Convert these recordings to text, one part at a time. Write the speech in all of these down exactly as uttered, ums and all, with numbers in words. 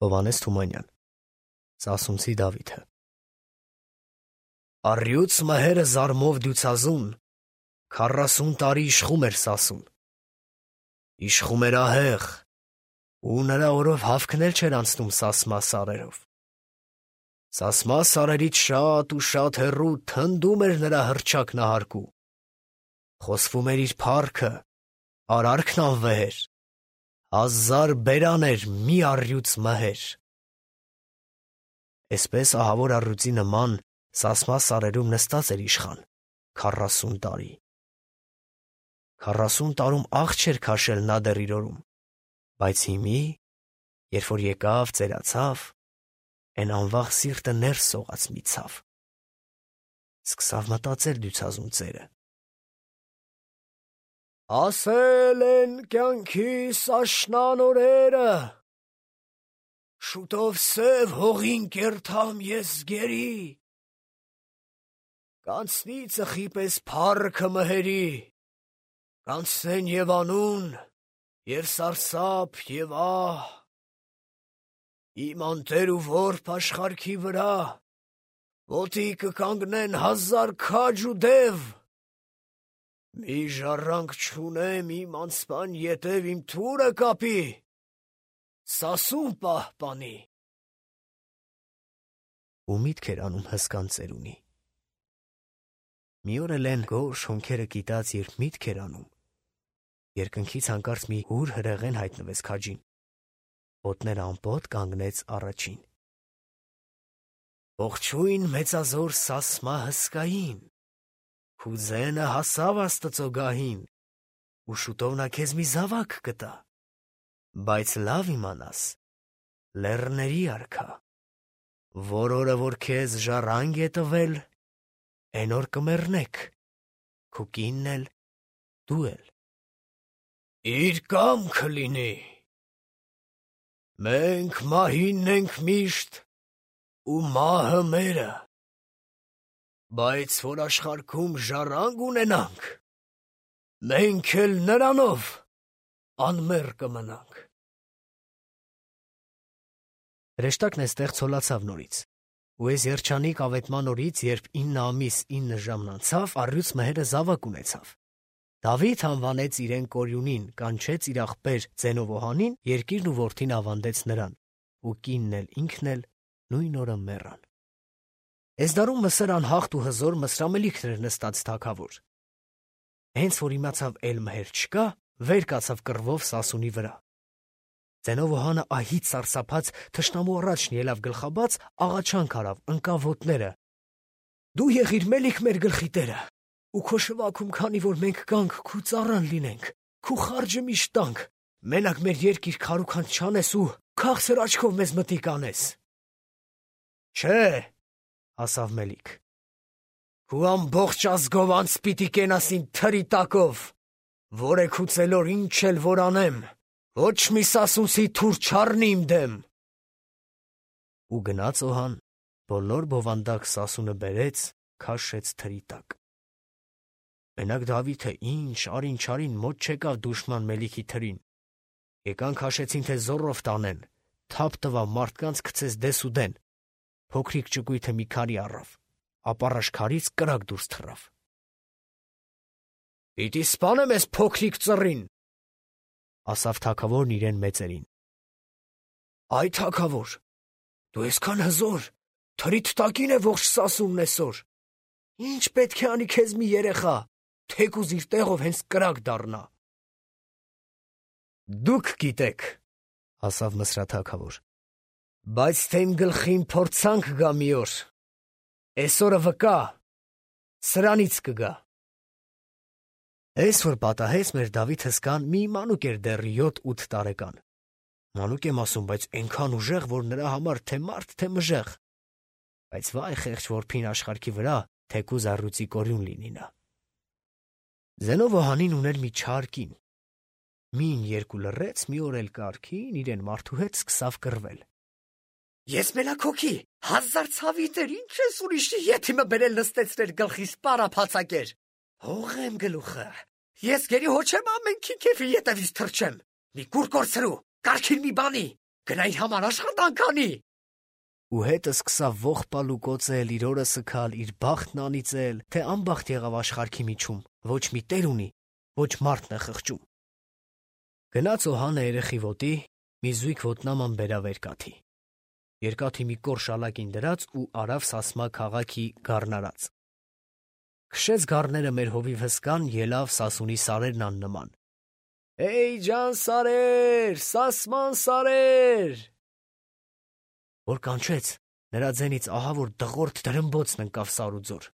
Հովհաննես Թումանյան, Սասունցի Դավիթը։ Առյուծ մհերը զարմով դյուցազուն, քառասուն տարի իշխում էր Սասուն։ Իշխում էր ահեղ, ու նրա օրով հավքնել չէր անցնում Սասմա սարերով։ Սասմա սարերից շատ ու շատ հեռու թնդում էր նրա հռչակ նահարկու։ Խոսվում էր իր փառքը, արարքն անվեհեր, հազար բերան էր մի առյուծ մհեր։ Էսպես ահավոր առյուծի նման Սասմա սարերում նստած էր իշխան քառասուն տարի։ Քառասուն տարում աղ չէր քաշել նա դեռ իր օրում, բայց հիմի, երբ որ եկավ, ծերացավ, էն անվաղ սիրտը ներս սողաց մի ցավ։ Սկսավ մտածել դյուցազուն ծերը. ասել են կյանքիս աշնան օրերը, շուտով սև հողին կերթամ ես գերի, կանցնի ծխի պես փառքը մհերի, կանցնեն և անուն, և սարսափ, և ահ, իմ անտեր ու որբ աշխարհքի վրա, ոտի կկանգնեն հազար քաջ ու դև, մի ժառանգ չունեմ իմ անցման ետև իմ թուրը կապի, Սասուն պահպանի։ Ու միտք էր անում հսկան ծերունի։ Մի օր էլ են գորշ հոնքերը կիտած, երբ միտք էր անում, երկնքից հանկարծ մի հուր հրեղեն հայտնվեց քաջին, ոտները անպոտ կանգնեց առաջին։ Ողջույն մեծազոր Սասմա հսկային, քու ձենը հասավ Աստծո գահին, ու շուտով նա քեզ մի զավակ կտա, բայց լավ իմանաս, լեռների արքա, որ օրը որ քեզ ժառանգ է տվել, էն օր կմեռնեք, քու կինն էլ, դու էլ։ Իր կամքը լինի։ Մենք մահինն ենք միշտ, ու մահը մերը, բայց որ աշխարհքում ժառանգ ունենանք, մենք էլ նրանով անմեռ կմնանք։ Հրեշտակն էստեղ ցոլացավ նորից, ու այս երջանիկ ավետման օրից, երբ ինը ամիս ինը ժամն անցավ, առյուծ մհերը զավակ ունեցավ։ Դավիթ անվանեց իրեն Կորյունին, կանչեց իր աղբեր Ձենովոհանին, երկիրն ու որդին ավանդեց նրան, ու կինն էլ ինքն էլ նույն օրը մեռան։ Էսդարում Մսեր անհաղթ ու հզոր Մսրամելիքն էր նստած թագավոր։ Հենց որ իմացավ էլ մհեր չկա, վեր կացավ կռվով Սասունի վրա։ Ձենովոհանը ահից սարսափած թշնամու առաջն ելավ գլխաբաց, աղաչանք արավ, ընկավ ոտները. Դու եղիր մելիք մեր գլխի տերը, ու քո շվաքում քանի որ մենք կանք, քու ծառան լինենք, քու խարջը միշտ տանք, մենակ մեր երկիր քարուքանց չանես ու քաղցր աչքով մեզ մտիկ անես։ Չէ, ասավ Մելիք, քու ամբողջ ազգով անց պիտի կենաս իմ թրի տակով, որ է քու ծելոր ինչ էլ որ անեմ, ոչ մի սասունցի թուր չառնի իմ դեմ։ Ու գնաց Օհան, բոլոր բովանդակ Սասունը բերեց, քաշեց թրի տակ։ Մենակ Դավիթը ինչ արին չարին մոտ չեկավ դուշման Մելիքի թրին։ Եկան քաշեցին, թե զոռով տանեն, թափ տվավ մարդկանց գցեց դես ու դեն, փոքրիկ ճկույթը մի քարի առավ, ապառաշ քարից կրակ դուրս թռավ։ Պիտի սպանեմ ես փոքրիկ ծռին, ասավ թագավորն իրեն մեծերին։ Այ թագավոր, դու այսքան հզոր, թրիդ տակին է ողջ Սասունն այսօր, ինչ պետք է անի քեզ մի երեխա, թեկուզ իր տեղով հենց կրակ դառնա։ Դուք գիտեք, ասավ Մսրաթագավոր, բայց թե իմ գլխին փորձանք գա մի օր, այսօրը վկա, սրանից կգա։ Այս որ պատահեց մեր Դավիթ հսկան մի մանուկ էր դեռ յոթ-ութ տարեկան։ Մանուկ եմ ասում, բայց այնքան ուժեղ, որ նրա համար թե մարդ, թե մժեղ։ Բայց վայ խեղճ որբին աշխարհքի վրա, թեկուզ առյուծի կորյուն լինի նա։ Ձենովոհանին ուներ մի չար կին։ Մին երկու լռեց, մի օր էլ կարգին իրեն մարդու հետ սկսավ կռվել։ Ես մենակ հոգի, հազար ցավիտեր, ինչ ես ուրիշի ետիմը բերել նստեցրել գլխիս պարափացակեր։ Հողեմ գլուխը, ես գերի հոչեմ ամենքի քեֆի ետևից թռչեմ, մի կուր կորցրու, կարգին մի բանի, գնային համար աշխատանք անի։ Ու հետը սկսավ ողբալ ու կոծել, իր օրը սգալ, իր բախտն անիծել, թե անբախտ եղավ աշխարհքի միջում, ոչ մի տեր ունի, ոչ մարդն է խղճում։ Գնաց Օհանը երեխի ոտի, մի զույգ ոտնաման բերավ երկաթի։ Երկաթի մի կոր շալակին դրած ու արավ Սասմա քաղաքի գառնարած։ Քշեց գառները մեր հովիվ հսկան, ելավ Սասունի սարերն աննման։ Էй ջան սարեր, Սասման սարեր։ Որ կանչեց, նրա ձենից ահա որ դղորդ դրմբոցն ընկավ սար ու ձոր։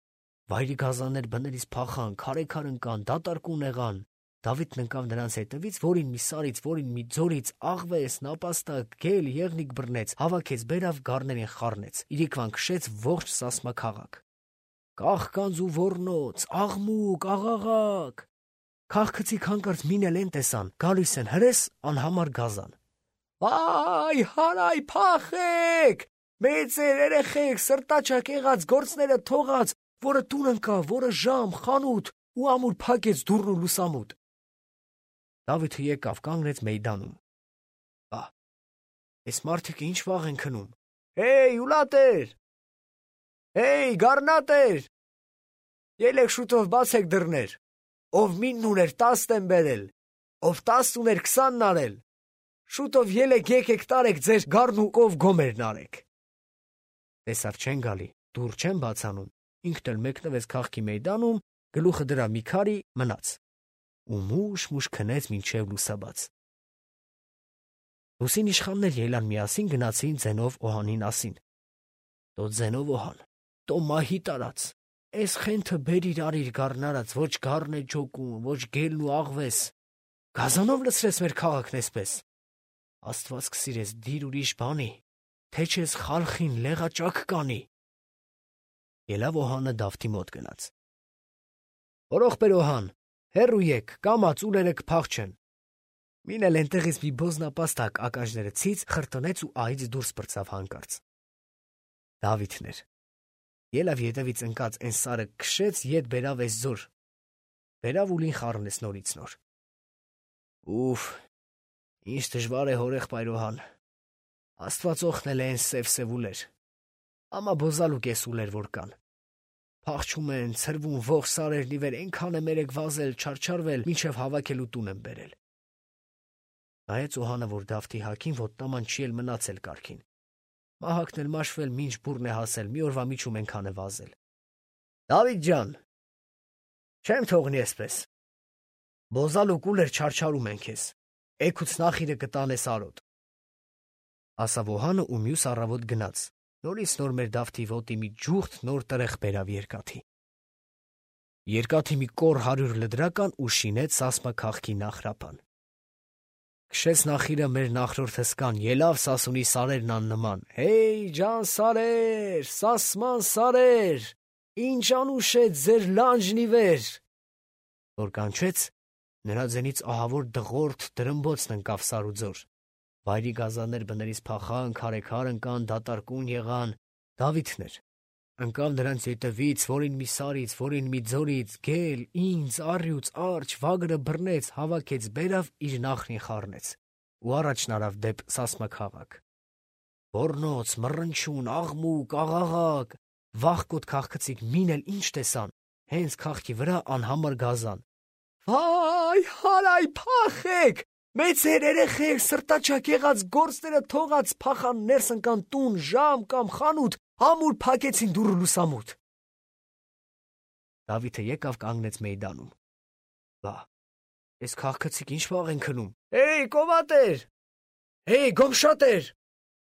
Վայրի գազաններ բներից փախան, քարեքար ընկան, դատարկուն եղան։ Դավիթն ընկավ նրանց հետևից, որին մի սարից, որին մի ձորից, աղվես, նապաստակ, գել, եղնիկ բռնեց, հավաքեց, բերավ գառներին խառնեց, իրիկվան քշեց ողջ Սասմա քաղաք։ Կաղկանց ու ոռնոց, աղմուկ, աղաղակ։ Քաղքցիկ հանկարծ մին էլ են տեսան, գալիս են հրես անհամար գազան։ Վայ, հարայ, փախեք, մեծեր, երեխեք, սրտաչակ եղած, գործները թողած, որը տուն ընկավ, որը ժամ, խանութ ու ամուր փակեց դուռն ու լուսամուտ։ Դավիթը եկավ, կանգնեց մեյդանում։ Ա, այս մարդիկը ինչ վաղ են քնում։ Հեյ, ուլատեր։ Հեյ, գառնատեր։ Ելեք շուտով բացեք դռներ։ Ով մինն ուներ տասն են բերել, ով տասն ուներ քսանն արել։ Շուտով ելեք եկեք տարեք ձեր գառն ու կով գոմերն արեք։ Տեսավ չեն գալի, դուռ չեն բացանում, ինքն էլ մեկնվեց քաղաքի մեյդանում, գլուխը դրա մի քարի մնաց։ Ու մուշ-մուշ քնեց մինչև լուսաբաց։ Լուսին իշխաններ ելան միասին գնացին ձենով Օհանին ասին. Տո ձենով Օհան, տո մահի տարած, էս խենթը բերիր արիր գառնարած, ոչ գառն է ջոկում, ոչ գելն ու աղվես։ Գազանով լցրես մեր քաղաքն էսպես։ Աստված կսիրես դիր ուրիշ բանի, թե չես խալխին լեղաճակ կանի։ Ելավ Օհանը Դավթի մոտ գնաց։ Որող բեր Օհան, հեռու եկ, կամաց ուլերը կփախչեն։ Մին էլ ենտեղից մի բոզնապաստակ ակաժները ցից խրտնեց ու այից դուրս պրծավ հանկարծ։ Դավիթն էր։ Ելավ ետևից ընկած են սարը քշեց ետ բերավ էս ձոր։ Բերավ ուլին խառնեց նորից նոր։ Ուֆ, ինչ դժվար է հորեղբայր Օհան։ Աստված օգնել է են սև-սև ուլեր։ Ամա բոզալու կես ուլեր որ կան։ Փախչում են, ցրվում ողջ սարերն ի վեր, այնքան է մերեկ վազել, չարչարվել, մինչև հավաքելու տուն են բերել։ Նայեց Օհանը, որ Դավթի հակին ոտնաման չի էլ մնացել կարգին։ Մահակն էլ մաշվել, մինչ բուրն է հասել, մի օրվա միջում այնքան է վազել։ Դավիթ ջան, չեմ թողնի այսպես։ Բոզալու կուլեր չարչարում են քեզ։ Էգուց նախիրը կտանես արոտ։ Ասավ Օհանը ու մյուս առավոտ գնաց։ Նորից նոր մեր Դավթի ոտի մի ջուղթ նոր տրեղ բերավ երկաթի։ Երկաթի մի կոր հարյուր լդրական ու շինեց Սասմա քաղաքի նախրապան։ Քշեց նախիրը մեր նախրորդ հսկան, ելավ Սասունի սարերն աննման։ Հեյ ջան սարեր, Սասման սարեր, ինչ անուշ է ձեր լանջն ի վեր։ Որ կանչեց, նրա ձենից ահավոր դղորդ դրմբոցն ընկավ սար ու ձոր։ Վայրի գազաններ բներից փախան, քարեքար ընկան, դատարկուն եղան։ Դավիթն էր։ Ընկավ նրանց ետևից, որին մի սարից, որին մի ձորից, գել, ինձ, առյուծ, արջ, վագրը բռնեց, հավաքեց, բերավ իր նախնին խառնեց։ Ու առաջն արավ դեպ Սասմա քաղաք։ Ոռնոց, մռնչուն, աղմուկ, աղաղակ, վախկոտ քաղքցիկ մին էլ ինչ տեսան, հենց քաղաքի վրա անհամար գազան։ Վայ, հարայ, փախեք, մեծեր, երեխեք, սրտաչակ եղած, գործները թողած, փախան ներս ընկան տուն, ժամ կամ խանութ, ամուր փակեցին դուռը լուսամուտ։ Դավիթը եկավ կանգնեց մեյդանում։ Բա, այս քաղաքացիք ինչ վաղ են քնում։ Հեյ, կովատեր, հեյ, գոմշատեր,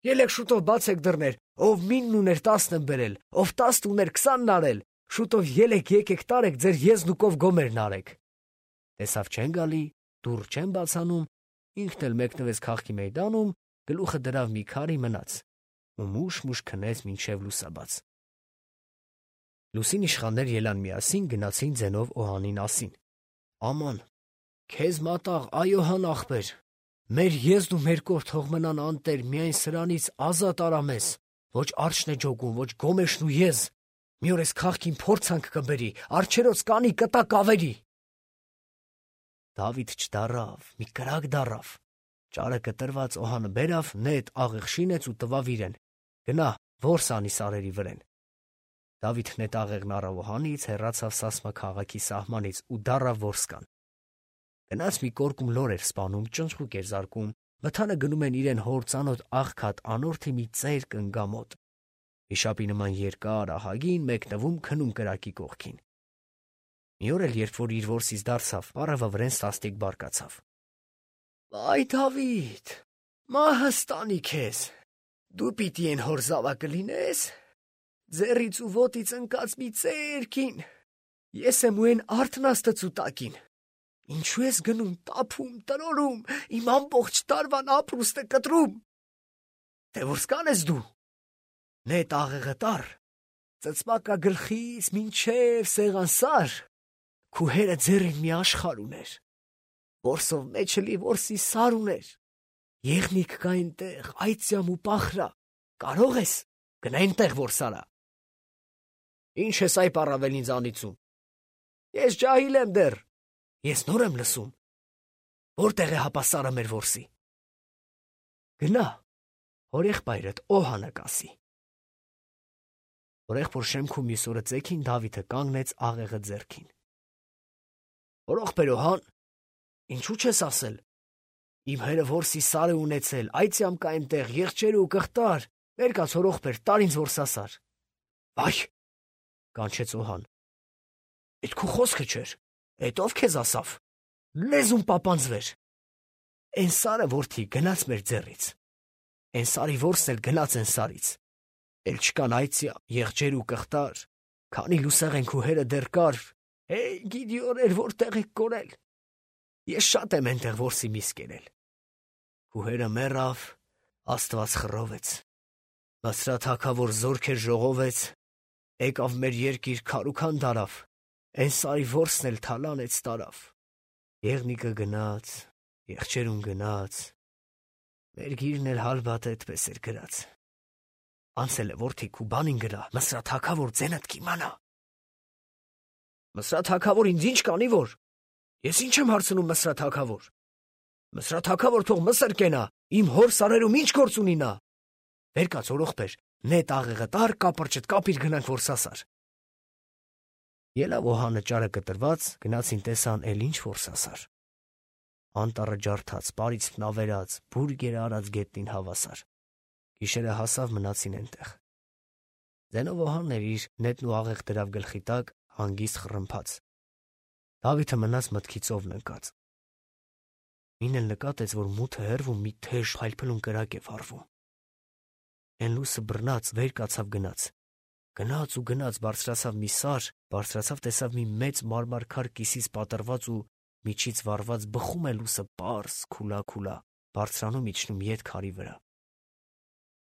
ելեք շուտով բացեք դռներ, ով մինն ուներ տասն են բերել, ով տասն ուներ քսանն արել, շուտով ելեք եկեք տարեք ձեր եզնուկով գոմերն արեք։ Տեսավ չեն գալի, դուռ չեն բացանում, ինքն էլ մեկնվեց քաղաքի մեյդանում, գլուխը դրավ մի քարի մնաց ու մուշ-մուշ քնեց մինչև լուսաբաց։ Լուսին իշխաններ ելան միասին, գնացին ձենով Օհանին ասին. Աման, քեզ մատաղ, այ Օհան ախպեր, մեր եզն ու մեր կոր թող մնան անտեր, միայն սրանից ազատ արա մեզ, ոչ արջն է ջոգում, ոչ գոմեշն ու եզ, մի օր էս քաղաքին փորձանք կբերի, արջերոց կանի կտակ ավերի։ Դավիթ չդարավ, մի կրակ դարավ, Ճարը կտրված Օհանը բերավ, նետ աղիղ շինեց ու տվավ իրեն. «Գնա, որս անի սարերի վրեն»։ Դավիթ նետ աղեղն առավ Օհանից, հեռացավ Սասմա քաղաքի սահմանից ու դառավ որսկան։ Գնաց մի կորկում լոր էր սպանում, ճնճղուկ էր զարկում, մթանը գնում են իրեն հոր ծանոթ աղքատ անորդի մի ծեր կնգամոտ։ Վիշապի նման երկար ահագին մեկնվում քնում կրակի կողքին։ Մի օր էլ, երբ որ իր որսից դարձավ, պարավը վրեն սաստիկ բարկացավ։ «Վայ Դավիթ, մահս տանի քեզ, դու պիտի են հոր զավակը լինես, ձեռից ու ոտից ընկած մի ծերքին, ես եմ ու են արդն աստծու տակին, ինչու ես գնում տափում, տրորում, իմ ամբողջ տարվան ապրուստը կտրում, թե որսկան ես դու, նետ աղեղը տար, ծծմակա գլխից մինչև սեղան սար, քու հերը ձեռին մի աշխարհ ուներ, որսով մեջը լի որսի սար ուներ, եղնիկ կա այնտեղ, այծյամ ու պախրա, կարող ես, գնա այնտեղ որսարա։ Ինչ ես այ պառավել ինձ անիծում, ես ջահիլ եմ դեռ, ես նոր եմ լսում, որտեղ է հապա սարը մեր որսի։ Գնա, հոր եղբայրդ Օհանը կասի։ Օրեղբոր շեմքում մյուս օրը ծեքին Դավիթը կանգնեց աղեղը ձեռքին։ Օրողբեր Օհան, ինչու չես ասել, իմ հերը որսի սար է ունեցել, այծյամ կա այնտեղ, եղջեր ու կղտար, վեր կաց օրողբեր, տար ինձ որսասար։ Վայ, կանչեց Օհան, այդ քու խոսքը չէր, այդ ով քեզ ասավ, լեզուն պապանձվեր։ Են սարը որդի գնաց մեր ձեռից, են սարի որսն էլ գնաց են սարից, էլ չկան այծյա, եղջեր ու կղտար, քանի լուսեղ են քու հերը դեռ կար, հեյ գիդիոներ որտեղ եք կորել, ես շատ եմ ենտեղ որսի միս կերել։ Քու հերը մեռավ, Աստված խռովեց, Մսրաթ հագավոր զորքեր ժողովեց, եկավ մեր երկիր քարուքան դարավ, են սարի որսն էլ թալանեց տարավ, եղնիկը գնաց, եղջերուն գնաց, մեր գիրն էլ հալբատ այդպես էր գրած։ Անցել է որդի քու բանին գրա, Մսրաթ հագավոր ձենդ կիմանա։ Մսրաթ հագավոր ինձ ինչ կանի որ, ես ինչ եմ հարցնում Մսրաթ հագավոր, Մսրաթ հագավոր թող Մսր կենա, իմ հոր սարերում ինչ գործ ունի նա։ Վեր կաց օրողբեր, նետ աղեղը տար, կապրճդ կապիր գնանք որսասար։ Ելավ Օհանը ճարը կտրված, գնացին տեսան էլ ինչ որսասար։ Անտառը ջարդած, պարիսպն ավերած, բուրգերը արած գետնին հավասար։ Գիշերը հասավ մնացին այնտեղ։ Ձենով Օհանն էր իր նետն ու աղեղ դրավ գլխի տակ, հանգիստ խռմփաց։ Դավիթը մնաց մտքից ովն ընկած։ Մին էլ նկատեց, որ մութը հեռվում մի թեժ փայլփլուն կրակ է վառվում։ Են լուսը բռնած վեր կացավ գնաց։ Գնաց ու գնաց բարձրացավ մի սար, բարձրացավ տեսավ մի մեծ մարմար քար կիսից պատրված ու միջից վառված բխում է լուսը պարզ, քուլա-քուլա, բարձրանում իջնում ետ քարի վրա։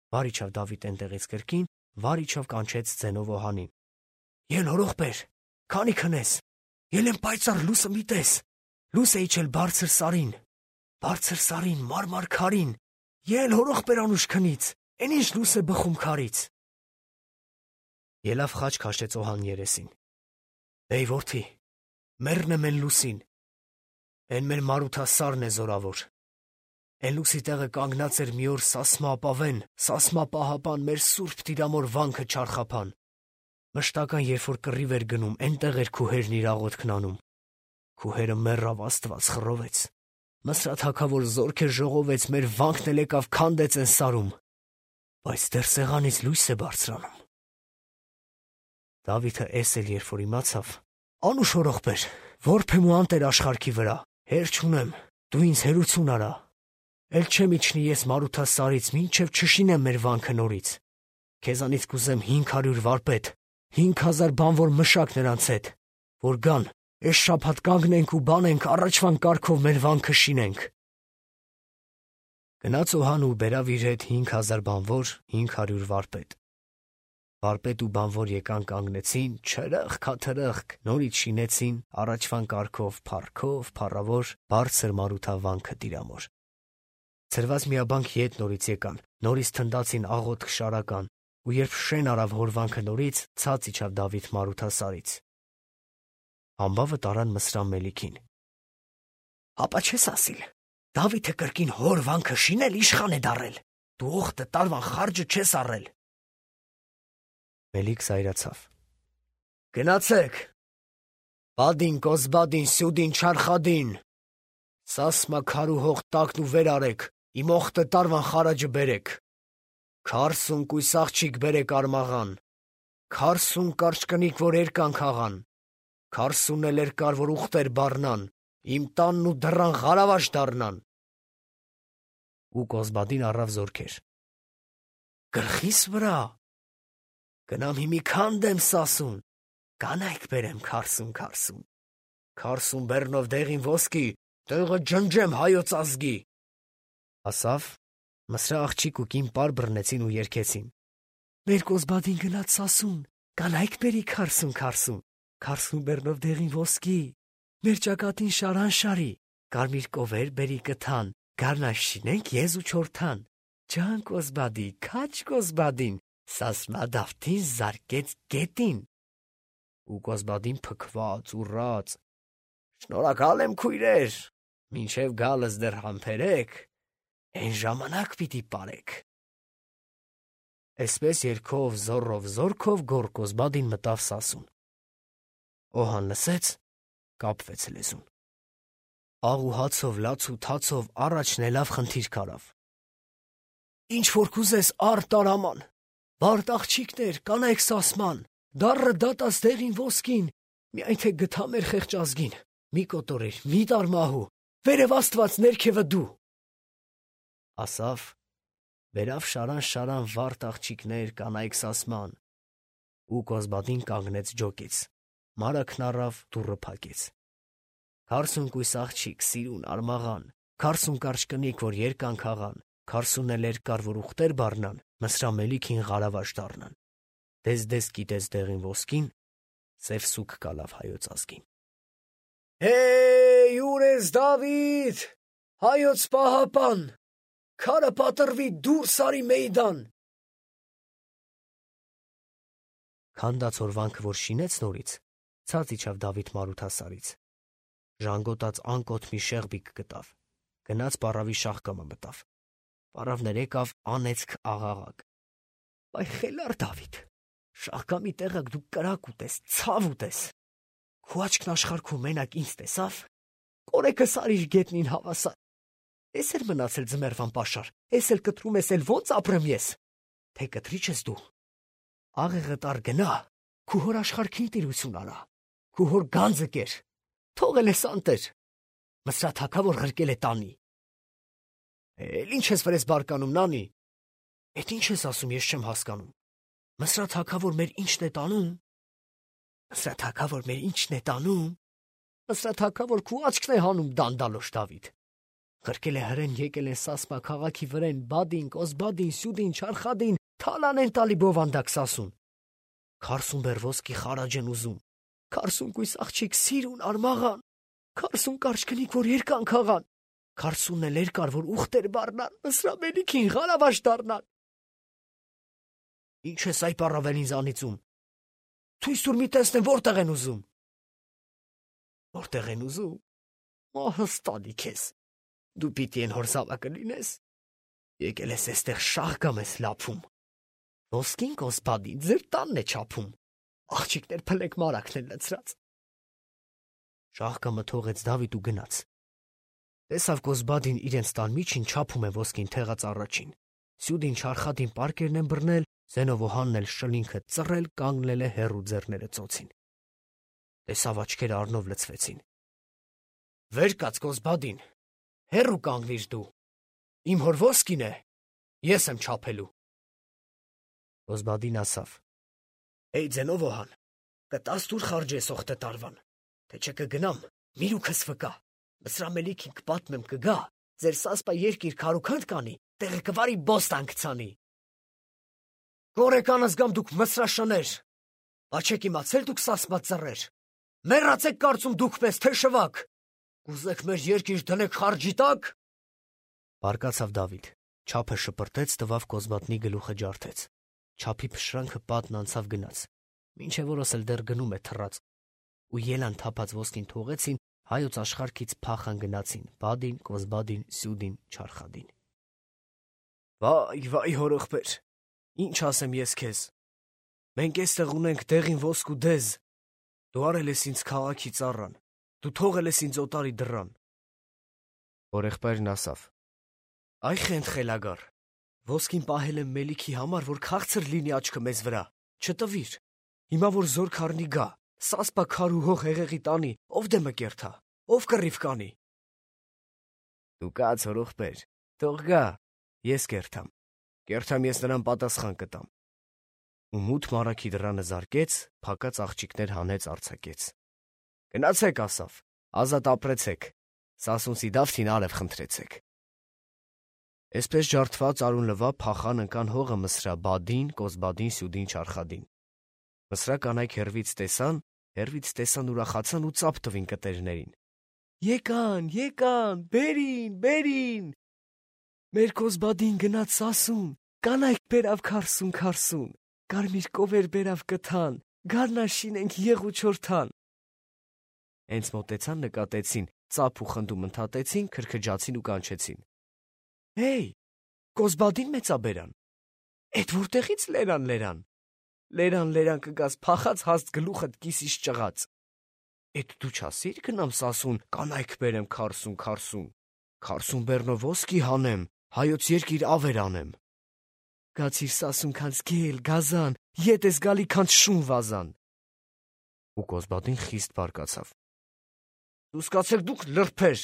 Վար իջավ Դավիթ այնտեղից կրկին, վար իջավ կանչեց ձենով Օհանին։ Ել օրողբեր, քանի քնես, ել եմ պայծառ լուսը մի տես, լուս է իջել բարձր սարին, բարձր սարին, մարմար քարին, ել օրողբեր անուշ քնից, են ինչ լուս է բխում քարից։ Ելավ խաչ քաշեց Օհան երեսին։ Էй որդի, մեռն եմ են լուսին, են մեր Մարութա սարն է զորավոր։ Են լուսի տեղը կանգնած էր մի օր Սասմա ապավեն, Սասմա պահապան մեր սուրբ տիրամոր վանքը չարխափան։ Մշտական երբ որ կռիվ էր գնում, այնտեղ էր քու հերն իր աղոթքն անում։ Քու հերը մեռավ, Աստված խռովեց։ Մսրաթ հագավոր զորքեր ժողովեց, մեր վանքն էլ եկավ քանդեց են սարում, բայց դեռ սեղանից լույս է բարձրանում։ Դավիթը էս էլ երբ որ իմացավ, անուշ օրողբեր, որբ եմ ու անտեր աշխարհքի վրա, հեր չունեմ, դու ինձ հերություն արա։ Էլ չեմ իջնի ես Մարութա սարից, մինչև չշինեմ մեր վանքը նորից։ Քեզանից կուզեմ հինգ հարյուր վարպետ, հինգ հազար բանվոր մշակ նրանց հետ, որ գան, էս շաբաթ կանգնենք ու բանենք, առաջվան կարգով մեր վանքը շինենք։ Գնաց Օհան ու բերավ իր հետ հինգ հազար բանվոր, հինգ հարյուր վարպետ։ Վարպետ ու բանվոր եկան կանգնեցին, չրըխ քաթրըխ, նորից շինեցին, առաջվան կարգով, փառքով, փառավոր, բարձր Մարութա վանքը տիրամոր։ Ցրված միաբանք ետ նորից եկան, նորից թնդացին աղոթք շարական, ու երբ շեն արավ հոր վանքը նորից, ցած իջավ Դավիթ Մարութա սարից։ Համբավը տարան Մսրան Մելիքին։ Հապա չես ասիլ, Դավիթը կրկին հոր վանքը շինել իշխան է դարել, դու օխտը տարվան խարջը չես առել։ Մելիք զայրացավ։ Գնացեք, բադին, կոզբադին, սյուդին, չարխադին, սասմա քարու հող տակն ու վեր արեք, իմ օխտը տարվան խարաջը բերեք, քարսուն կույս աղջիկ բերեք արմաղան, քարսուն կարճկնիկ, որ երկանք աղան, քարսուն էլ երկար, որ ուխտեր բառնան, իմ տանն ու դռան ғարավաշ դառնան։ Ու կոզբադին առավ զորքեր։ Գլխիս վրա, գնամ հիմի քանդեմ սասուն, կանայք բերեմ քարսուն քարսուն, քարսուն բեռնով դեղին ոսկի, տեղը ջնջեմ հայոց ազգի։ Ասավ, Մսրա աղջիկ ու կին պար բռնեցին ու երգեցին. Մեր կոզբադին գնաց սասուն, կանայք բերի քարսուն քարսուն, քարսուն բեռնով դեղին ոսկի, մեր ճակատին շարան շարի, կարմիր կովեր բերի կթան, գարնաշ շինենք եզ ու չորթան, ջան կոզբադի, քաչ կոզբադին, սասմա դավթին զարկեց գետին։ Ու կոզբադին փքված, ուռած. Շնորհակալ եմ քույրեր, մինչև գալս դեռ համբերեք, այն ժամանակ պիտի պարեք։ Այսպես երգով, զոռով, զորքով գոր կոզբադին մտավ սասուն։ Օհան լսեց, կապվեց լեզուն։ Աղ ու հացով, լաց ու թացով առաջն ելավ խնդիր կարավ։ Ինչ որ կուզես առ տարաման, բարդ աղջիկներ, կանայք սասման, դառը դատած դեղին ոսկին, միայն թե գթա մեր խեղճ ազգին, մի կոտորիր, մի տար մահու, վերև Աստված ներքևը դու։ Ասավ, վերավ շարան-շարան վարդ աղջիկներ, կանայք սասման, ու կոզբադին կանգնեց ջոկից, մարակն առավ, դուռը փակեց։ Քարսուն կույս աղջիկ, սիրուն, արմաղան, քարսուն կարճկնիկ, որ երկանք աղան, քարսուն էլ երկար, որ ուխտեր բառնան, Մսրա Մելիքին ғարավաշ դառնան։ Դես-դես կիտեց դեղին ոսկին, սև սուգ կալավ հայոց ազգին։ Հեյ, ուր ես Դավիթ, հայոց պահապան, քարը պատռվի դուրս արի մեյդան։ Քանդած հորվանքը, որ շինեց նորից, ցած իջավ Դավիթ Մարութասարից։ Ժանգոտած անկոտ մի շեղբիկ գտավ, գնաց պառավի շաղկամը մտավ, պառավներ եկավ անեծք աղաղակ։ Բայ խելար Դավիթ, շաղկամի տեղը դու կրակ ուտես, ցավ ուտես, քու աչքն աշխարհքում մենակ ինձ տեսավ, կորեկս արիր գետնին հավասար, ես էլ մնացել ձմեռվան պաշար, ես էլ կտրում ես էլ ոնց ապրեմ ես, թե կտրիչ ես դու, աղեղը տար գնա, քու հոր աշխարհքին տիրություն արա, քու հոր գանձը կեր, թողել ես անտեր, Մսրա թագավոր ղրկել է տանի։ Էլ ինչ ես վրես բարկանում, նանի, էդ ինչ ես ասում, ես չեմ հասկանում, Մսրա թագավոր մեր ինչն է տանում, Մսրա թագավոր մեր ինչն է տանում, Մսրա թագավոր քու աչքն է հանում դանդալոշ Դավիթ, ղրկել է հրեն, եկել են Սասմա քաղաքի վրեն, բադին, կոզբադին, սյուդին, չարխադին, թալան են տալի բովանդակ սասուն, քարսուն բեր ոսկի խարաջ են ուզում, քարսուն կույս աղջիկ սիրուն արմաղան, քարսուն կարճկնիկ, որ երկանք աղան, քարսունն էլ երկար, որ ուխտեր բառնան, Մսրա Մելիքին ғարավաշ դառնան։ Ինչ ես այ պառավել ինձ անիծում, թույս տուր մի տեսնեմ որտեղ են ուզում։ Որտեղ են ուզում, ահստանի քեզ, դու պիտի են հոր զավակը լինես, եկել ես էստեղ շաղկամ ես լափում, ոսկին կոզբադին ձեր տանն է չափում, աղջիկներ փլեք մարակն են լցրած։ Շաղկամը թողեց Դավիթ ու գնաց։ Տեսավ կոզբադին իրենց տան միջին չափում է ոսկին թեղած առաջին, սյուդին չարխադին պարկերն են բռնել, զենով օհանն էլ շլինքը ծռել, կանգնել է հեռու ձեռները ծոցին։ Տեսավ աչքերը առնով լցվեցին։ Վեր կաց կոզբադին, հեռու կանգնիր դու, իմ հոր ոսկին է, ես եմ չափելու։ Կոզբադին ասավ. Էй ձենով օհան, կտաս դուր խարջը ես օխտը տարվան, թե չէ կգնամ, միրուքս վկա, Մսրա Մելիքին կպատմեմ կգա, ձեր Սասպա երկիր քարուքանդ կանի, տեղը կվարի բոստան կցանի։ Գորեկանս գամ դուք Մսրաշներ, աչեք իմացել դուք Սասպա ծռեր, մեռացեք կարծում դուք պես թե շվակ, կուզեք մեր երկիր դնեք խարջի տակ։ Բարկացավ Դավիթ, չափը շպրտեց, տվավ Կոզբատնի գլուխը ջարդեց, չափի փշրանքը պատն անցավ գնաց, մինչև որս էլ դեռ գնում է թռած, ու ելան թափած ոսկին թողեցին, հայոց աշխարհքից փախան գնացին Բադին, Կոզբադին, Սյուդին, Չարխադին։ Վայ, վայ հորողբեր, ինչ ասեմ ես քեզ։ Մենք էստեղ ունենք դեղին ոսկ ու դեզ։ Դու արել ես ինձ քաղաքի ծառան, դու թողել ես ինձ օտարի դռան։ Հորեղբայրն ասավ. Այ խենթ խելագար, ոսկին պահել եմ մելիքի համար, որ քաղցր լինի աչքը մեզ վրա, չտվիր։ Հիմա որ զոր քառնի գա, սասպա քար ու հող հեղեղի տանի, ով դե մկերթա, ով կռիվ կանի։ Դու կաց հորողբեր, թող գա, ես կերթամ, կերթամ ես նրան պատասխան կտամ։ Ու մութ մարագի դռանը զարկեց, փակած աղջիկներ հանեց արձակեց։ Գնացեք, ասավ, ազատ ապրեցեք, Սասունցի դավթին արև խնդրեցեք։ Այսպես ջարդված արուն լվա փախան ընկան հողը Մսրա Բադին, Կոզբադին, Սյուդին, Չարխադին։ Մսրա կանայք հերվից տեսան, հերվից տեսան ուրախացան ու ծափ տվին կտերներին։ Եկան, եկան, բերին, բերին։ Մեր Կոզբադին գնաց Սասուն, կանայք բերավ քարսուն, քարսուն, կարմիր կովեր բերավ կթան, գարնաշին ենք եղ ու չորթան։ Հենց մոտեցան նկատեցին, ծափ ու խնդում ընդհատեցին, քրքջացին ու կանչեցին։ Հեյ, Կոզբադին մեծաբերան։ Էդ որտեղից լերան լերան։ Լերան լերան կգաս փախած հաստ գլուխդ կիսից ճղած։ Էդ դու չասիր գնամ Սասուն, կանայք բերեմ քարսուն, քարսուն։ Քարսուն բեռնով ոսկի հանեմ, հայոց երկիր ավեր անեմ։ Գացիր Սասուն քանց գել, գազան, ետ ես գալի քանց շուն վազան։ Ու Կոզբադին խիստ բարկացավ։ Դու սկացեք դուք լրբեր,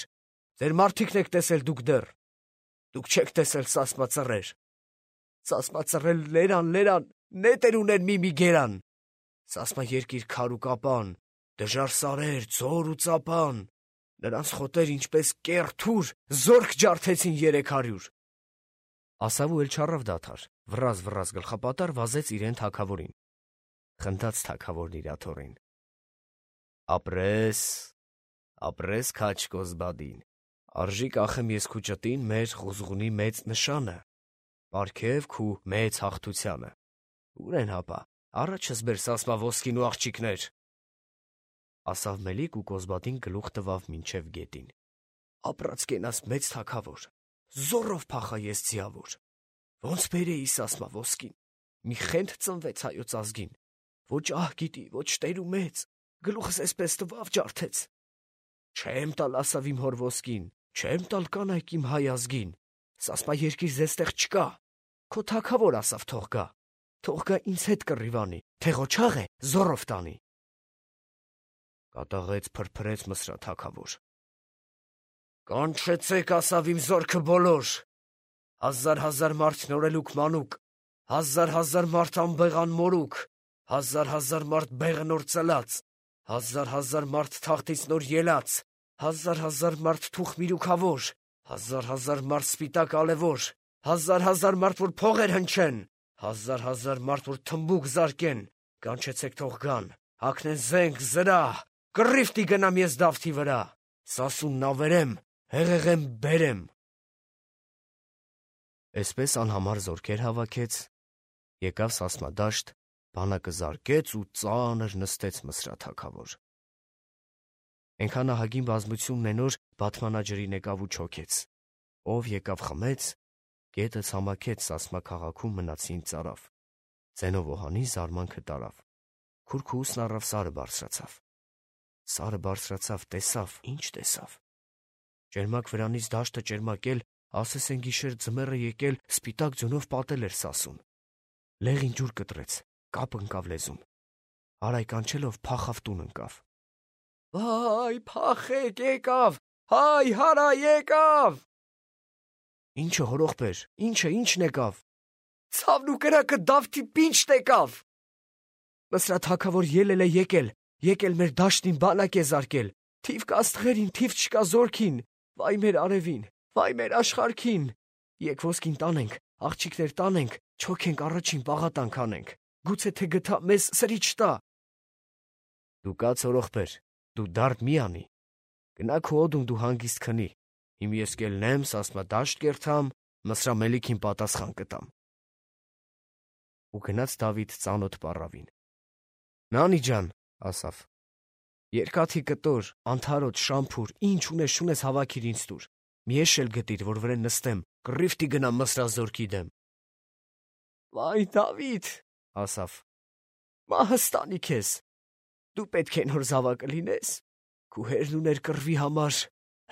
ձեր մարդիկն եք տեսել դուք դեռ։ Դուք չեք տեսել սասմա ծռեր։ Սասմա ծռեր լերան, լերան, նետեր ունեն մի մի գերան։ Սասմա երկիր քար ու կապան, դժար սարեր, ձոր ու ծապան։ Նրանց խոտեր ինչպես կեռ-թուր, զորք ջարդեցին երեք հարյուր։ Ասավ ու էլ չառավ դադար, վռազ վռազ գլխապատար վազեց իրեն թագավորին։ Խնդաց թագավորն իր աթոռին։ Ապրես, ապրես քաչ Կոզբադին, արժի կախեմ ես քու ճտին մեր ղուզղունի մեծ նշանը, պարգև քու մեծ հաղթությանը։ Ուր են հապա, առաջս բեր Սասմա ոսկին ու աղջիկներ։ Ասավ Մելիք ու Կոզբադին գլուխ տվավ մինչև գետին։ Ապրած կենաս մեծ թագավոր, զորով փախա ես ձիավոր։ Ոնց բերեի Սասմա ոսկին, մի խենթ ծնվեց հայոց ազգին, ոչ ահ գիտի, ոչ տեր ու մեծ, գլուխս էսպես տվավ ջարդեց։ Չեմ տալ ասավ իմ հոր ոսկին, չեմ տալ կանայք իմ հայ ազգին, Սասմա երկիր զեստեղ չկա, քո թագավոր ասավ թող գա, թող գա ինձ հետ կռիվանի, թե ղոչաղ է զորով տանի։ Կատաղեց փրփրեց Մսրա թագավոր։ Կանչեցեք ասավ իմ զորքը բոլոր, հազար հազար մարդ նորելուկ մանուկ, հազար հազար մարդ անբեղան մորուկ, հազար հազար մարդ բեղը նոր ծլած, հազար հազար մարդ թախտից նոր ելած, հազար հազար մարդ թուխ միրուքավոր, հազար հազար մարդ սպիտակ ալևոր, հազար հազար մարդ որ փողեր հնչեն, հազար հազար մարդ որ թմբուկ զարկեն, կանչեցեք թող գան, հագնեն զենք, զրահ, կռիվտի գնամ ես դավթի վրա, Սասունն ավերեմ, հեղեղեմ բերեմ։ Այսպես անհամար զորքեր հավաքեց, եկավ Սասմա դաշտ, բանակը զարկեց ու ծանր նստեց Մսրա թագավոր։ Էնքան ահագին բազմությունն են որ բաթմանաջրին եկավ ու չոքեց, ով եկավ խմեց, գետը ցամաքեց Սասմա քաղաքում մնացին ծարավ, ձենով օհանի զարմանքը տարավ, քուրքուսն առավ սարը բարձրացավ, սարը բարձրացավ, տեսավ, ինչ տեսավ, ճերմակ վրանից դաշտը ճերմակել, ասես են գիշեր ձմեռը եկել, սպիտակ ձյունով պատել էր Սասուն, լեղին ջուր կտրեց, կապ ընկավ լեզուն, հարայ կանչելով փախավ տուն ընկավ։ Վայ, փախեք, եկավ, հայ, հարա, եկավ։ Ինչը հորողբեր, ինչը, ինչն եկավ։ Ցավն ու կրակը դավթի պինչն եկավ։ Մսրա թագավոր ելել է եկել, եկել մեր դաշտին բանակ է զարկել, թիվ կա աստղերին, թիվ չկա զորքին, վայ մեր արևին, վայ մեր աշխարհքին։ Եկ ոսկին տանենք, աղջիկներ տանենք, չոքենք առաջին պաղատանք անենք, գուցե թե գթա մեզ սրի չտա։ Դու կաց հորողբեր, դու դարդ մի անի, գնա քո օդում դու հանգիստ քնի, իմ ես կելնեմ, Սասմա դաշտ կերթամ, Մսրա Մելիքին պատասխան կտամ։ Ու գնաց Դավիթ ծանոթ պառավին։ Նանի ջան, ասավ, Երկաթի կտոր, անթարոտ, շամփուր, ինչ ունես շունես հավաքիր ինձ տուր։ Մի էշ էլ գտիր, որ վրան նստեմ, կռիվտի գնամ Մսրազորքի դեմ։ Վայ Դավիթ, ասավ, մահս տանի քեզ։ Դու պետք է նոր զավակը լինես։ Քու հերն ուներ կռվի համար,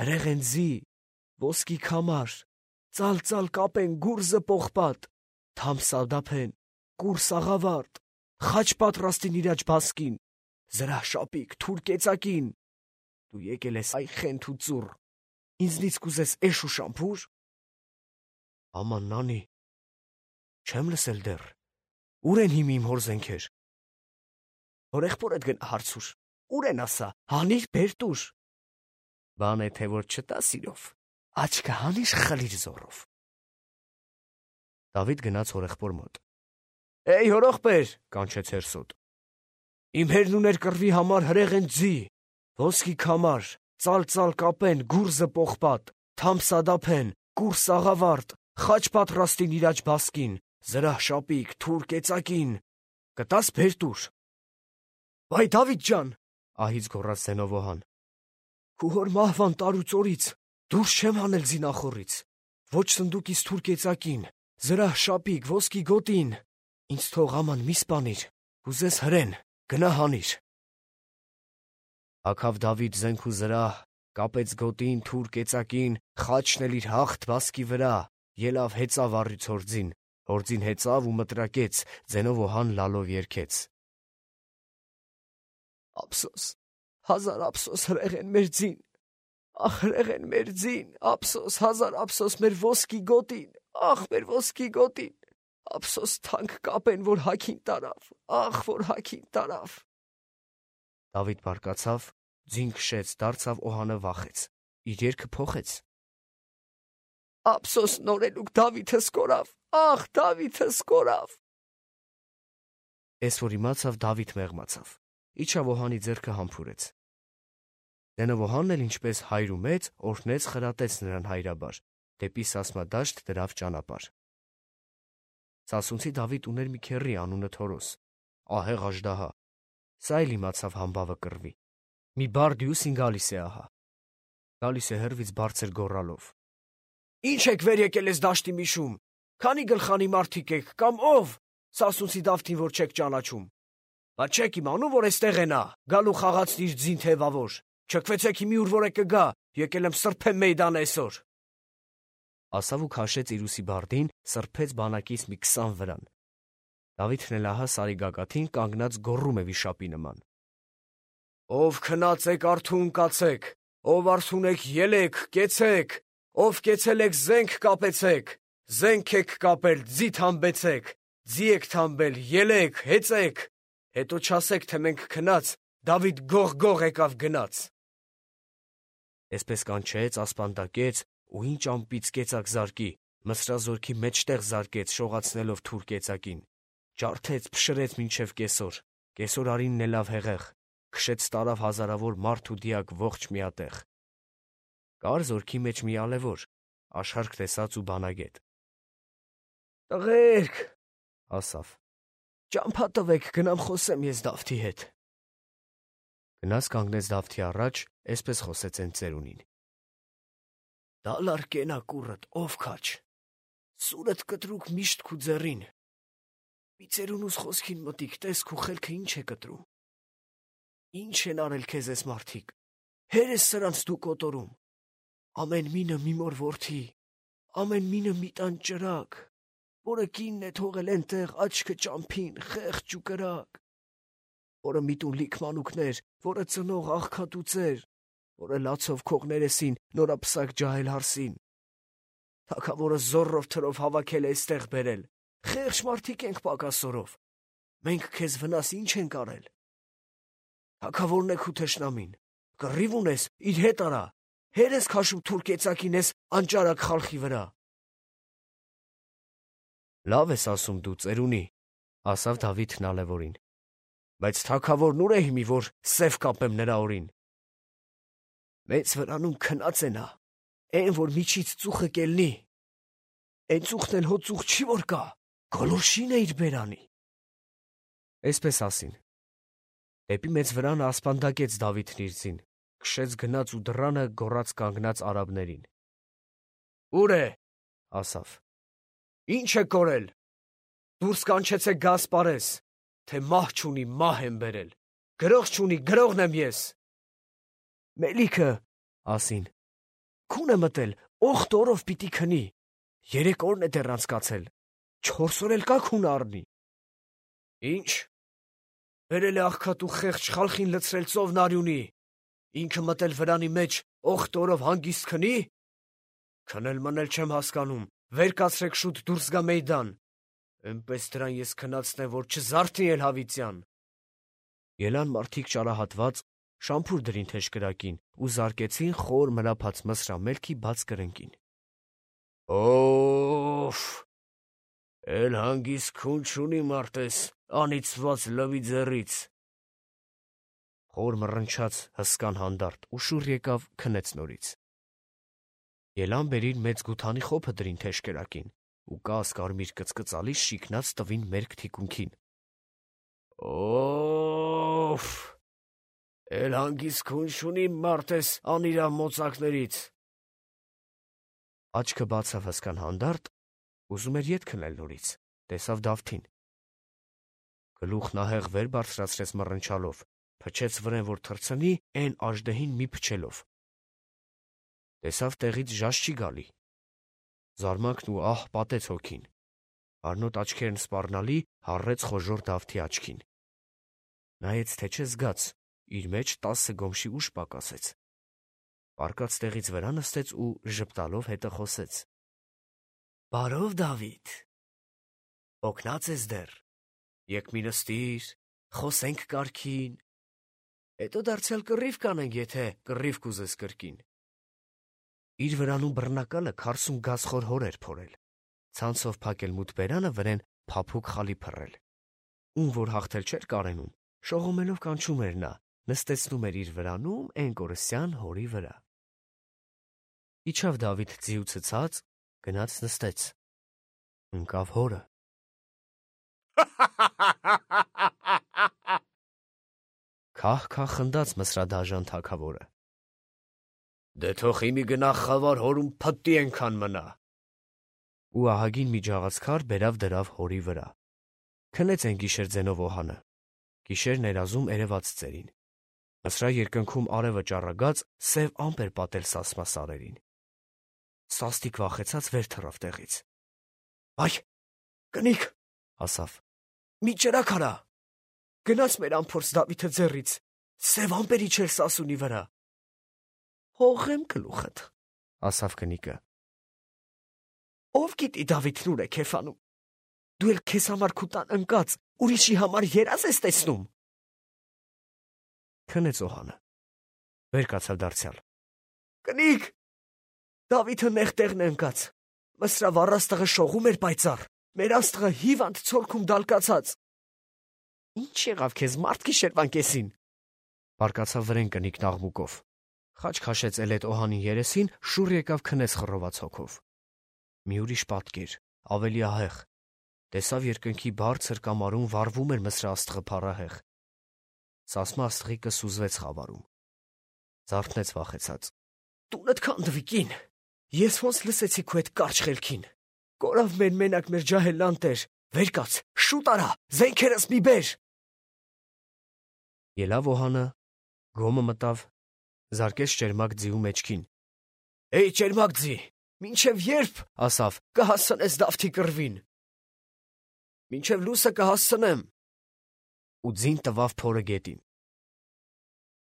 հրեղեն ձի, ոսկի քամար, ծալ-ծալ կապեն գուրզը պողպատ, թամ սադափեն, կուր սաղավարտ, խաչ պատրաստին իրաջ բասկին, զրահ շապիկ, թուր կեցակին։ Դու եկել ես այ խենթ ու ծուռ, ինձնից կուզես էշ ու շամփուր։ Աման նանի, չեմ լսել դեռ, ուր են հիմի իմ հոր զենքեր։ Հորեղբորդ գնա հարցուր, ուր են ասա, հանիր բեր տուր։ Բան է թե որ չտա սիրով, աչքը հանիր խլիր զորով։ Դավիթ գնաց հորեղբոր մոտ։ Էй հորողբեր, կանչեց հերսոտ։ Իմ հերն ուներ կռվի համար հրեղեն ձի, ոսկի քամար, ծալ-ծալ կապեն, գուրզը պողպատ, թամ սադափեն, կուր սաղավարտ, խաչ պատրաստին իրաջ բասկին, զրահ շապիկ, թուր կեցակին, կտաս բեր տուր։ Վայ Դավիթ ջան, ահից գոռաց Զենովոհան, քու հոր մահվան տարուց օրից դուրս չեմ հանել զինախորից, ոչ սնդուկից թուր կեցակին, զրահ շապիկ, ոսկի գոտին, ինձ թող աման մի սպանիր, կուզես հրեն, գնա հանիր։ Հագավ Դավիթ զենք ու զրահ, կապեց գոտին, թուր կեցակին, խաչն էլ իր հաղթ բասկի վրա, ելավ հեծավ առյուծ հորձին, հորձին հեծավ ու մտրակեց, Զենովոհան լալով երգեց. Ափսոս, հազար ափսոս հրեղեն մեր ձին, ախ հրեղեն մեր ձին, ափսոս, հազար ափսոս մեր ոսկի գոտին, ախ մեր ոսկի գոտին, ափսոս թանկ կապեն, որ հագին տարավ, ախ որ հագին տարավ։ Դավիթ բարկացավ, ձին քշեց, դարձավ օհանը վախեց, իր երգը փոխեց։ Ափսոս նորելուկ Դավիթը սկորավ, ախ Դավիթը սկորավ։ Էս որ իմացավ Դավիթ մեղմացավ, իջավ օհանի ձեռքը համբուրեց։ Զենովոհանն էլ ինչպես հայր ու մեծ օրհնեց խրատեց նրան հայրաբար, դեպի Սասմադաշտ դրավ ճանապարհ։ Սասունցի Դավիթ ուներ մի քեռի անունը Թորոս, ահեղ աժդահա, սա էլ իմացավ համբավը կռվի։ Մի բարդյուսին գալիս է ահա։ Գալիս է հեռվից բարձր գոռալով. Ինչ եք վեր եկել ես դաշտի միշում, քանի գլխանի մարդիկ եք, կամ ով, Սասունցի Դավթին որ չեք ճանաչում։ Բայց չեք իմանում, որ էստեղ է նա, գալու խաղացն իր ձին թևավոր, չքվեցեք հիմի ուր որ է կգա, եկել եմ սրբեմ մեյդան այսօր։ Ասավ ու քաշեց իր ուսի բարդին, սրբեց բանակից մի քսան վրան։ Դավիթն էլ ահա սարի գագաթին կանգնած գոռում է վիշապի նման. Ով քնած եք արթուն կացեք, ով արթուն եք ելեք, կեցեք, ով կեցել եք զենք կապեցեք, զենք եք կապել, ձի թամբեցեք, ձի եք թամբել, ելեք, հեծեք, հետո չասեք, թե մենք քնած, Դավիթ գող-գող եկավ գնաց։ Այսպես կանչեց, ասպանդակեց, ու ինչ ամպից կեցակ զարկի, Մսրազորքի մեջտեղ զարկեց, շողացնելով թուր կեցակին, ջարդեց, փշրեց մինչև կեսօր, կեսօր արինն ելավ հեղեղ, քշեց տարավ հազարավոր մարդ ու դիակ ողջ միատեղ։ Կար զորքի մեջ մի ալևոր, աշխարհք տեսած ու բանագետ։ Տղերք, ասավ, ճամփա տվեք, գնամ խոսեմ ես Դավթի հետ։ Գնաց կանգնեց Դավթի առաջ, այսպես խոսեց են ծերունին. Դալար կենա կուրդ, ով քաչ, սուրդ կտրուկ միշտ քու ձեռին, մի ծերունուս խոսքին մտիկ, տես քու խելքը ինչ է կտրում, ինչ են արել քեզ ես մարդիկ, հեր ես սրանց դու կոտորում, ամեն մինը մի մոր որդի, ամեն մինը մի տան ճրակ, որը կինն է թողել ենտեղ աչքը ճամփին, խեղճ ու կրակ, որը միտուն լիք մանուկներ, որը ծնող աղքատուծեր, որը լացով քողներեսին նորապսակ ջահել հարսին, թագավորը զորով թրով հավաքել է այստեղ բերել, խեղճ մարդիկ ենք պակասորով, մենք քեզ վնաս ինչ ենք արել, թագավորն է քու թշնամին, կռիվ ունես, իր հետ արա, հեր ես քաշում թուր կեցակին ես անճարակ խալխի վրա։ Լավ ես ասում դու ծերունի, ասավ Դավիթն ալևորին, բայց թագավորն ուր է հիմի, որ սև կապեմ նրա օրին։ Մեծ վրանում քնած է նա, այն որ միջից ծուխը կելնի, այն ծուխն էլ հո ծուխ չի որ կա, գոլորշին է իր բերանի։ Այսպես ասին, Դեպի մեծ վրանը ասպանդակեց Դավիթն իր ձին, քշեց գնաց ու դռանը գոռաց կանգնած արաբներին։ «Ո՞ւր է», ասավ։ «Ի՞նչ է կորել։ Դուրս կանչեցեք գա ասպարես, թե մահ չունի, մահ եմ բերել, գրող չունի, գրողն եմ ես»։ «Մելիքը», ասին, «քուն է մտել, օխտ օրով պիտի քնի, երեք օրն է դեռ անցկացել, չորս օր էլ կա քուն առնի»։ «Ի՞նչ, բերել է աղքատ ու խեղճ խալխին լցրել ծովն արյունի, ինքը մտել վրանի մեջ, օխտ օրով հանգիստ քնի։ Քնել մնել չեմ հասկանում, վեր կացրեք շուտ դուրս գա մեյդան, էնպես դրան ես քնացնեմ, որ չզարթի էլ հավիտյան»։ Ելան մարդիկ ճարահատված, շամփուր դրին թեժկրակին ու զարկեցին խոր մրափած մսրամելքի բաց կրնկին։ «Օֆ, էլ հանգիստ քուն չունի մարդես, անիծված լվի ձեռից»։ Խոր մռնչաց հսկան հանդարտ ու շուռ եկավ քնեց նորից։ Ելան բերին մեծ գութանի խոփը դրին թեժկրակին ու կաս կարմիր կծկծալի շիկնած տվին մերկ թիկունքին։ «Օֆ, էլ հանգիստ քուն չունի մարդես անիրա մոծակներից»։ Աչքը բացավ հսկան հանդարտ, ուզում էր ետ քնել նորից, տեսավ Դավթին։ Գլուխ նահեղ վեր բարձրացրեց մռնչալով, փչեց վրեն, որ թռցնի, էն աժդեհին մի փչելով։ Տեսավ տեղից ժաշ չի գալի։ Զարմանքն ու ահ պատեց հոգին։ Արնոտ աչքերն սպառնալի հառեց խոժոռ Դավթի աչքին։ Նայեց, թե չէ զգաց, իր մեջ տասը գոմշի ուժ պակասեց։ Պառկած տեղից վրա նստեց ու ժպտալով հետը խոսեց. «Բարով, Դավիթ, օգնած ես դեռ, եկ մի նստիր, խոսենք կարգին, հետո դարձյալ կռիվ կանենք, եթե կռիվ կուզես կրկին»։ Իր վրանում բռնակալը քարսուն գազխոր հոր էր փորել, ցանցով փակել մութ բերանը վրեն փափուկ խալի փռել։ Ում որ հաղթել չէր կարենում, շողոմելով կանչում էր նա, նստեցնում էր իր վրանում էն կորսյան հորի վրա։ Իջավ Դավիթ ձիուցը ցած, գնաց նստեց։ Ընկավ հորը։ Քահ-քահ խնդաց մսրադաժան թագավորը։ «Դե թող իմի գնա խավար հորում փտտի ենքան մնա»։ Ու ահագին մի ջաղացքար բերավ դրավ հորի վրա։ Քնեց են գիշեր ձենով օհանը, գիշեր ներազում երևաց ծերին։ Մսրա երկնքում արևը ճառագած սև ամպ էր պատել սասմա սարերին։ Սաստիկ վախեցած վեր թռավ տեղից։ «Այ, կնիկ», ասավ, «մի ճրագ արա, գնաց մեր անփորձ Դավիթը ձեռից, սև ամպեր իջել սասունի վրա»։ «Հողեմ գլուխդ», ասավ կնիկը։ «Ով գիտի Դավիթն ուր է քեֆանում, դու էլ քեզ համար քու տան ընկած, ուրիշի համար երազ ես տեսնում»։ Քնեց օհանը, վեր կացավ դարձյալ։ «Կնիկ, Դավիթը նեղ տեղն է ընկած, մսրա վառաստղը շողում էր պայծառ, մեր աստղը հիվանդ ցորքում դալկացած»։ «Ինչ եղավ քեզ մարդ գիշերվան կեսին», բարկացավ վրեն կնիկն աղմուկով։ Խաչ քաշեց էլետ օհանի երեսին, շուռ եկավ քնեց խռոված հոգով։ Մի ուրիշ պատկեր, ավելի ահեղ, տեսավ երկնքի բարձր կամարում վառվում էր մսրա աստղը փառահեղ։ Սասմա աստղիկը սուզվեց խավարում։ Զարթնեց վախեցած։ «Տունդ քանդվի կին, ես ոնց լսեցի քո այդ կարճ խելքին, կորավ մեր մենակ մեր ջահելան տեր, վեր կաց, շուտ արա, զենքերս մի բեր»։ Ելավ օհանը, գոմը մտավ, զարկեց ճերմակ ձիու մեջքին։ «Էй, ճերմակ ձի, մինչև երբ, ասավ, կհասցնես Դավթի կռվին»։ «Մինչև լուսը կհասցնեմ»։ Ու ձին տվավ փորը գետին։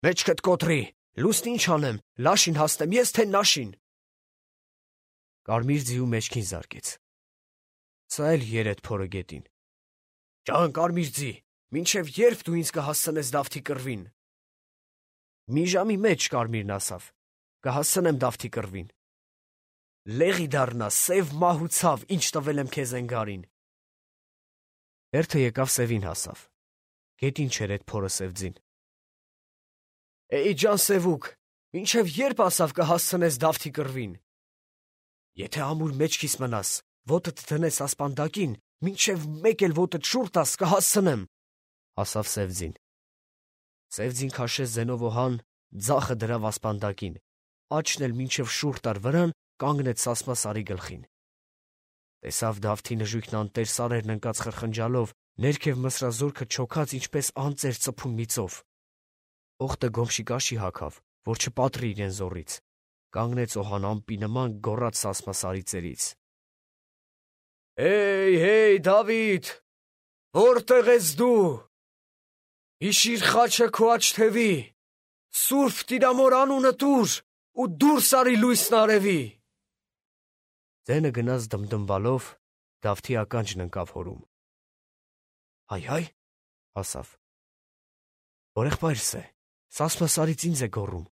«Մեջքդ կոտրի, լուսն ինչ անեմ, լաշին հասնեմ ես, թե նաշին»։ Կարմիր ձիու մեջքին զարկեց։ Սա էլ երեդ փորը գետին։ «Ջան կարմիր ձի, մինչև երբ դու ինձ կհասցնես Դավթի կռվին»։ «Մի ժամի մեջ, կարմիրն ասավ, կհասցնեմ Դավթի կռվին»։ «Լեղի դառնա, սև մահ ու ցավ, ինչ տվել եմ քեզ ընգարին»։ Հերթը եկավ սևին հասավ։ Գետին չէր էդ փորը սև ձին։ «Էй ջան սևուկ, մինչև երբ ասավ կհասցնես Դավթի կռվին»։ «Եթե ամուր մեջքիս մնաս, ոտդ դնես ասպանդակին, մինչև մեկ էլ ոտդ շուռ տաս, կհասցնեմ», ասավ սև ձին։ Սև ձին քաշեց զենովոհան, ձախը դրավ ասպանդակին, աչն էլ մինչև շուռ տար վրան, կանգնեց Սասմա Սարի գլխին։ Տեսավ Դավթի նժույգն անտեր սարերն ընկած խրխնջալով, ներքև մսրազորքը չոքած ինչպես անծեր ծփուն միծով։ Օղտը գոմշիկաշի հագավ, որ չպատրի իրեն զորից, կանգնեց օհան ամպի նման գոռաց Սասմա Սարի ծերից. «Հեյ, հեյ, Դավիթ, որտե՞ղ ես դու։ Հիշիր խաչը քո աջ թևի, Սուրբ Տիրամոր անունը տուր ու դուրս արի լույսն արևի»։ Ձենը գնաց դմդմվալով, Դավթի ականջն ընկավ հորում։ «Հայ, հայ», ասավ, «որ եղբայրս է, Սասմա Սարից ինձ է գոռում։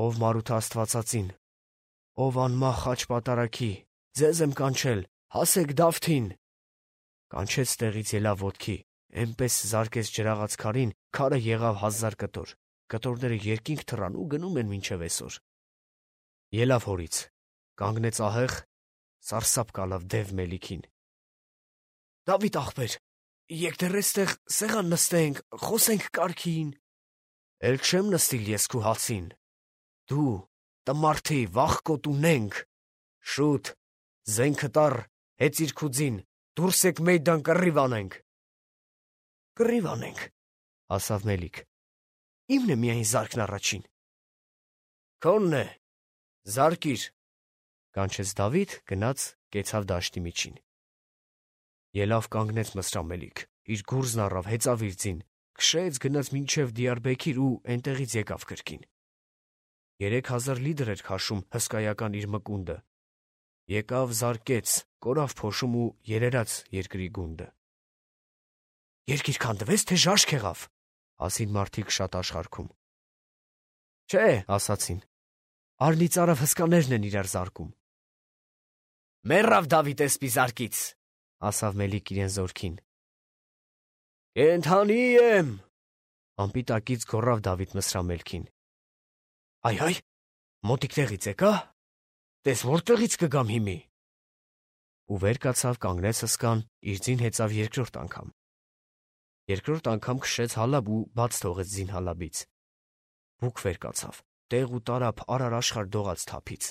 Ով Մարութը Աստվածածին, ով անմահ խաչ պատարագի, ձեզ եմ կանչել, հասեք Դավթին»։ Կանչեց տեղից ելավ ոտքի, էնպես զարկեց ջրաղաց քարին, քարը եղավ հազար կտոր, կտորները երկինք թռան ու գնում են մինչև այսօր։ Ելավ հորից, կանգնեց ահեղ, սարսափ կալավ դև մելիքին։ «Դավիթ ախպեր, եկ դեռ էստեղ սեղան նստենք, խոսենք կարգին»։ «Էլ չեմ նստիլ ես քու հացին։ Դու, տմարդի, վախկոտ ունենք, շուտ, զենքը տար, հեծիր քու ձին, դուրս եկ մեյդան կռիվ անենք»։ «Կռիվ անենք», ասավ Մելիք, «իմն է միայն զարկն առաջին»։ «Քոնն է, զարկիր», կանչեց Դավիթ, գնաց, կեցավ դաշտի միջին։ Ելավ կանգնեց Մսրամելիք, իր գուրզն առավ, հեծավ իր ձին, քշեց, գնաց մինչև Դիարբեքիր ու էնտեղից եկավ կրկին։ Երեք հազար լիդր էր քաշում հսկայական իր մկունդը։ Եկավ, զարկեց, կորավ փոշում ու երերաց երկրի գունդը։ «Երկիր քանդվեց, թե ժաշք եղավ», ասին մարդիկ շատ աշխարհքում։ «Չէ», ասացին, «արնիծարավ հսկաներն են իրար զարկում»։ «Մեռավ Դավիթ էսպի զարկից», ասավ Մելիք իրեն զորքին։ «Կենդանի եմ», անպիտակից գոռավ Դավիթ Մսրամելքին։ «Այ, այ, մոտիկ տեղից եկա, տես որտեղից կգամ հիմի»։ Ու վեր կացավ, կանգնեց հսկան, իր ձին հեծավ երկրորդ անգամ։ Երկրորդ անգամ քշեց հալաբ ու բաց թողեց ձին հալաբից։ Բուք վեր կացավ, տեղ ու տարափ արար աշխարհ դողաց թափից։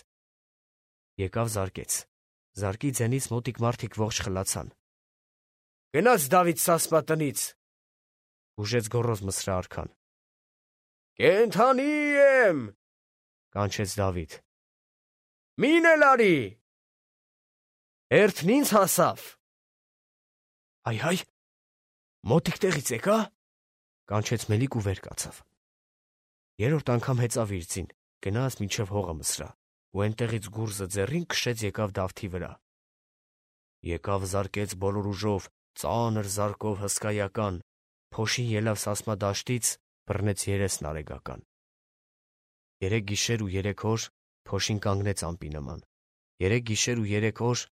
Եկավ զարկեց, զարկի ձենից մոտիկ մարդիկ ողջ խլացան։ «Գնաց Դավիթ Սասմա տնից», ուժեց գոռոզ Մսրա արքան։ «Կենդանի եմ», կանչեց Դավիթ։ «Մին էլ արի»։ «Հերթն ինձ հասավ»։ «Այ, հայ, մոտիկ տեղից եկա», կանչեց Մելիք ու վեր կացավ։ Երրորդ անգամ հեծավ իր ձին, գնաց մինչև հողը Մսրա, ու էնտեղից գուրզը ձեռին քշեց եկավ Դավթի վրա։ Եկավ զարկեց բոլոր ուժով, ծանր զարկով հսկայական, փոշին ելավ Սասմա դաշտից, բռնեց երեսն արեգական։ Երեք գիշեր ու երեք օր փոշին կանգնեց ամպի նման։ Երեք գիշեր ու երեք օր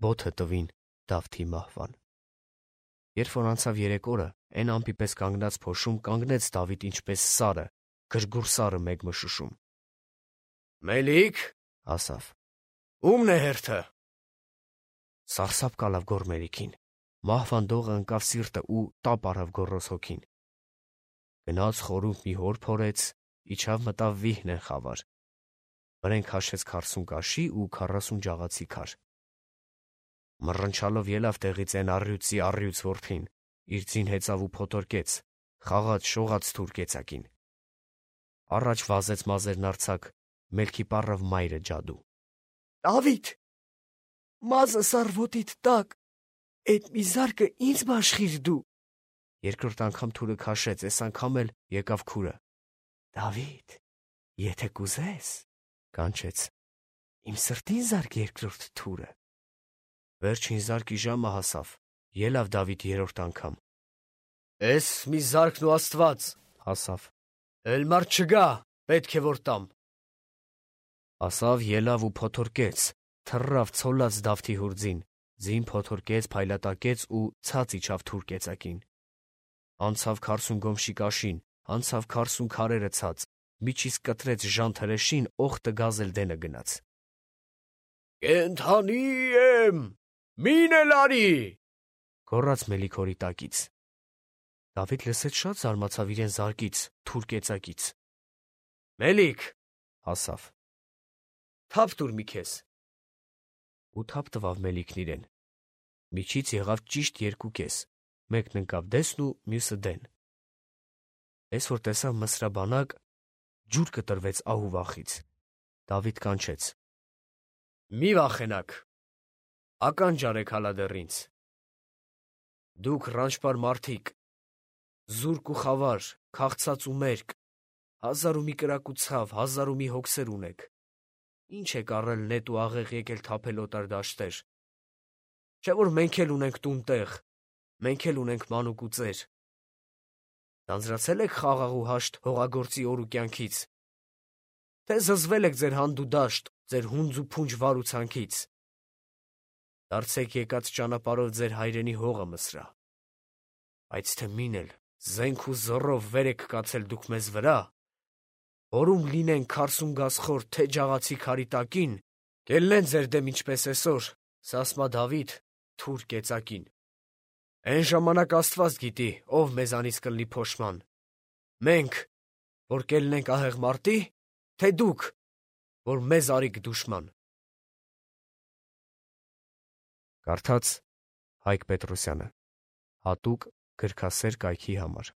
բոթը տվին Դավթի մահվան։ Երբ որ անցավ երեք օրը, այն ամպի պես կանգնած փոշում կանգնեց Դավիթ ինչպես սարը, գրգուռ սարը մեկ մշուշում։ «Մելիք», ասավ, «ումն է հերթը»։ Սարսափ կալավ գոռ Մելիքին, մահվան դողը ընկավ սիրտը ու տապ արավ գոռոզ հոգին։ Գնաց խորունդ մի հոր փորեց, իջավ մտավ Վիհնեն խավար, վրեն քաշեց քառսուն կաշի ու քառասուն ջաղացի քար։ Մռնչալով ելավ տեղից այն առյուծի առյուծ որդին, իր ձին հեծավ ու փոթորկեց, խաղաց շողաց թուր կեցակին։ Առաջ վազեց մազերն արձակ, մելքի պառավ մայրը ջադու։ «Դավիթ, մազը սարվոտիդ տակ, էդ մի զարկը ինձ բաշխիր դու»։ Երկրորդ անգամ թուրը քաշեց, այս անգամ էլ եկավ քուրը։ «Դավիթ, եթե կուզես», կանչեց, «իմ սրտին զարկ երկրորդ թուրը»։ Վերջին զարկի ժամը հասավ, ելավ Դավիթ երրորդ անգամ։ «Էս մի զարկն ու Աստված», ասավ, «էլ մարդ չգա, պետք է որ տամ»։ Ասավ, ելավ ու փոթորկեց, թռավ ցոլած Դավթի հուրձին, ձին փոթորկեց, փայլատակեց ու ցած իջավ թուր կեցակին։ Անցավ քառսուն գոմշիկաշին, անցավ քառսուն քարերը ցած, միջից կտրեց ժանթ հրեշին, օղտը գազել դենը գնաց։ «Կենդանի եմ, մին էլ արի», գոռաց Մելիք հորի տակից։ Դավիթ լսեց շատ զարմացավ իրեն զարկից, թուր կեցակից։ Մելիք, ասավ, թափ տուր մի քեզ։ Ու թափ տվավ Մելիքն իրեն։ Միջից եղավ ճիշտ երկու կես, մեկն ընկավ դեսն ու մյուսը դեն։ Էս որ տեսավ Մսրաբանակ, ջուր կտրվեց ահու վախից։ Դավիթ կանչեց. Մի վախենաք, ականջ արեք հալա դեռ ինձ։ Դուք ռանչպար մարդիկ, զուրկ ու խավար, քաղցած ու մերկ, հազար ու մի կրակ ու ցավ, հազար ու մի հոգսեր ունեք։ Ինչ եք առել նետ ու աղեղ եկել թափել օտար դաշտեր։ Չէ՞ որ մենք էլ ունենք տուն տեղ, մենք էլ ունենք մանուկ ու ծեր։ Ձանձրացել եք խաղաղ ու հաշտ հողագործի օր ու կյանքից, թե զզվել եք ձեր հանդ ու դաշտ, ձեր հունձ ու փունջ վար ու ցանքից։ Դարձեք եկած ճանապարհով ձեր հայրենի հողը Մսրա։ Բայց թե մին էլ զենք ու զոռով վեր եք կացել դուք մեզ վրա, որում լինեն քարսուն գասխոր թե ջաղացի քարի տակին, կելնեն ձեր դեմ ինչպես այսօր, Սասմա Դավիթ, թուր կեցակին։ Այն ժամանակ Աստված գիտի, ով մեզանից կլինի փոշման։ Մենք, որ կելնենք ահեղ մարտի, թե դուք, որ մեզ արիք դուշման։ Կարդաց Հայկ Պետրոսյանը, հատուկ գրքասեր կայքի համար։